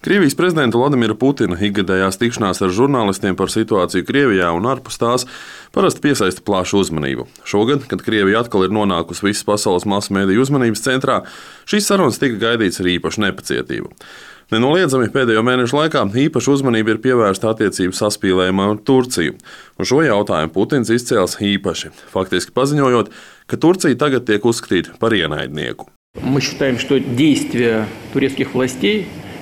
Krievijas prezidenta Vladimira Putina ikgadējās tikšanās ar žurnālistiem par situāciju Krievijā un ārpus tās parasti piesaista plašu uzmanību. Šogad, kad Krievija atkal ir nonākusi visas pasaules masu mediju uzmanības centrā, šīs sarunas tika gaidīts ar īpašu nepacietību. Nenoliedzami pēdējo mēnešu laikā īpaša uzmanība ir pievērsta attiecību saspīlējumam ar Turciju, un šo jautājumu Putins izcēls īpaši, faktiski paziņojot, ka Turcija tagad tiek uzskatīta par ienaidnieku.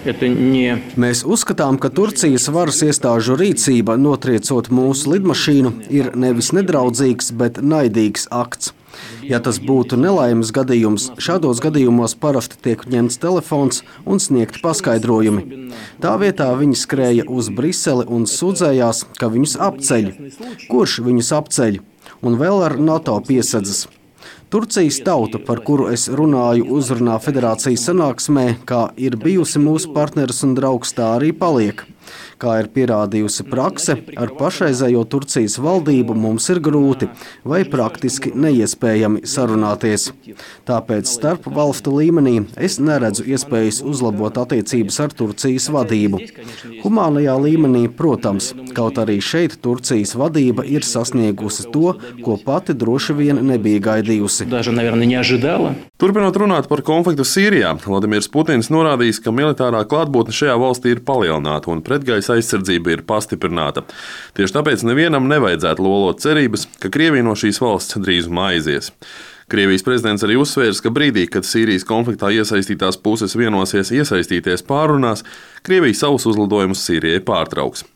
Mēs uzskatām, ka Turcijas varas iestāžu rīcība, notriecot mūsu lidmašīnu, ir nevis nedraudzīgs, bet naidīgs akts. Ja tas būtu nelaimes gadījums, šādos gadījumos parasti tiek ņemts telefons un sniegti paskaidrojumi. Tā vietā viņi skrēja uz Briseli un sūdzējās, ka viņus apceļ. Kurš viņus apceļ? Un vēl ar NATO piesadzes. Turcijas tauta, par kuru es runāju uzrunā federācijas sanāksmē, kā ir bijusi mūsu partneris un draugs, tā arī paliek. Kā ir pierādījusi prakse, ar pašreizējo Turcijas valdību mums ir grūti vai praktiski neiespējami sarunāties. Tāpēc starp valstu līmenī es neredzu iespējas uzlabot attiecības ar Turcijas vadību. Humānajā līmenī, protams, kaut arī šeit Turcijas vadība ir sasniegusi to, ko pati droši vien nebija gaidījusi. Turpinot runāt par konfliktu Sīrijā, Vladimirs Putins norādījis, ka militārā klātbūtne šajā valstī ir palielināta un pretgaisa aizsardzība ir pastiprināta. Tieši tāpēc nevienam nevajadzētu lolot cerības, ka Krievija no šīs valsts drīzumā aizies. Krievijas prezidents arī uzsvērs, ka brīdī, kad Sīrijas konfliktā iesaistītās puses vienosies iesaistīties pārrunās, Krievija savus uzlidojumus Sīrijai pārtrauks.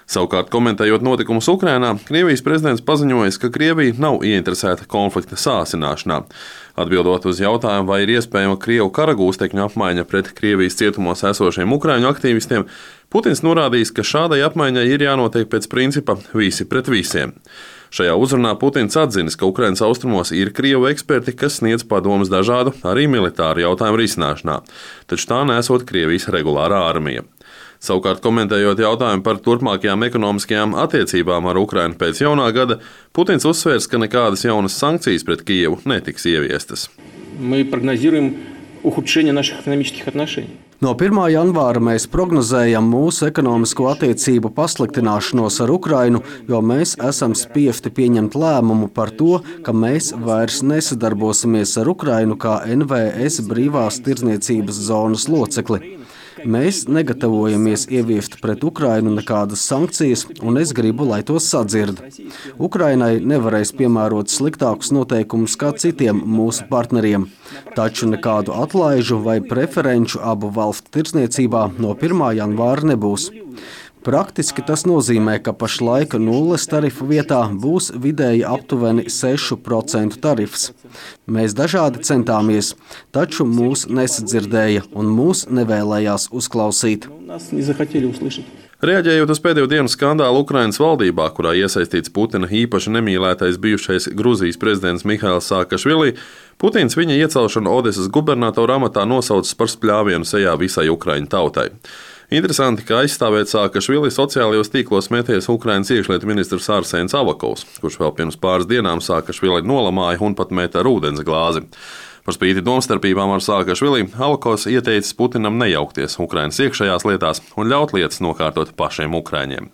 Savukārt, komentējot notikumus Ukrainā, Krievijas prezidents paziņojis, ka Krievija nav ieinteresēta konflikta sāsināšanā. Atbildot uz jautājumu, vai ir iespējama Krievu karagūstekņu apmaiņa pret Krievijas cietumos esošiem ukraiņu aktīvistiem, Putins norādījis, ka šādai apmaiņai ir jānotiek pēc principa visi pret visiem. Šajā uzrunā Putins atzinis, ka Ukrainas austrumos ir Krievu eksperti, kas sniedz padomus dažādu, arī militāru jautājumu risināšanā, taču tā nesot Krievijas regulārā armija. Savukārt, komentējot jautājumu par turpmākajām ekonomiskajām attiecībām ar Ukrainu pēc jaunā gada, Putins uzsvērs, ka nekādas jaunas sankcijas pret Kijevu netiks ieviestas. No 1. janvāra mēs prognozējam mūsu ekonomisko attiecību pasliktināšanos ar Ukrainu, jo mēs esam spiesti pieņemt lēmumu par to, ka mēs vairs nesadarbosimies ar Ukrainu kā NVS brīvās tirdzniecības zonas locekli. Mēs negatavojamies ieviest pret Ukrainu nekādas sankcijas, un es gribu, lai to sadzird. Ukrainai nevarēs piemērot sliktākus noteikumus kā citiem mūsu partneriem, taču nekādu atlaižu vai preferenču abu valstu tirdzniecībā no 1. janvāra nebūs. Praktiski tas nozīmē, ka pašlaik nulles tarifu vietā būs vidēji aptuveni 6% tarifs. Mēs dažādi centāmies, taču mūs nesadzirdēja un mūs nevēlējās uzklausīt. Reaģējot uz pēdējo dienu skandālu Ukrainas valdībā, kurā iesaistīts Putina īpaši nemīlētais bijušais Gruzijas prezidents Mihails Saakašvili, Putins viņa iecelšanu Odesas gubernatora amatā nosaucis par spļāvienu sejā visai Ukraiņu tautai. Interesanti, ka aizstāvēt Saakašvili sociālajos tīklos meties Ukrainas iekšlietu ministrs Arsēns Avakovs, kurš vēl pirms pāris dienām Saakašvili nolamāja un pat meta ar ūdens glāzi. Par spīti domstarpībām ar Saakašvili, Avakovs ieteicis Putinam nejaukties Ukrainas iekšējās lietās un ļaut lietas nokārtot pašiem ukraiņiem.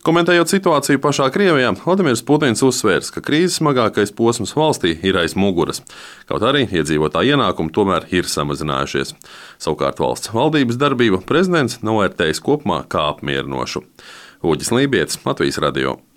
Komentējot situāciju pašā Krievijā, Vladimirs Putins uzsvērs, ka krīzes smagākais posms valstī ir aiz muguras, kaut arī iedzīvotāju ienākumi tomēr ir samazinājušies. Savukārt valsts valdības darbību prezidents novērtējis kopumā kā apmierinošu. Uģis Lībietis, Latvijas radio.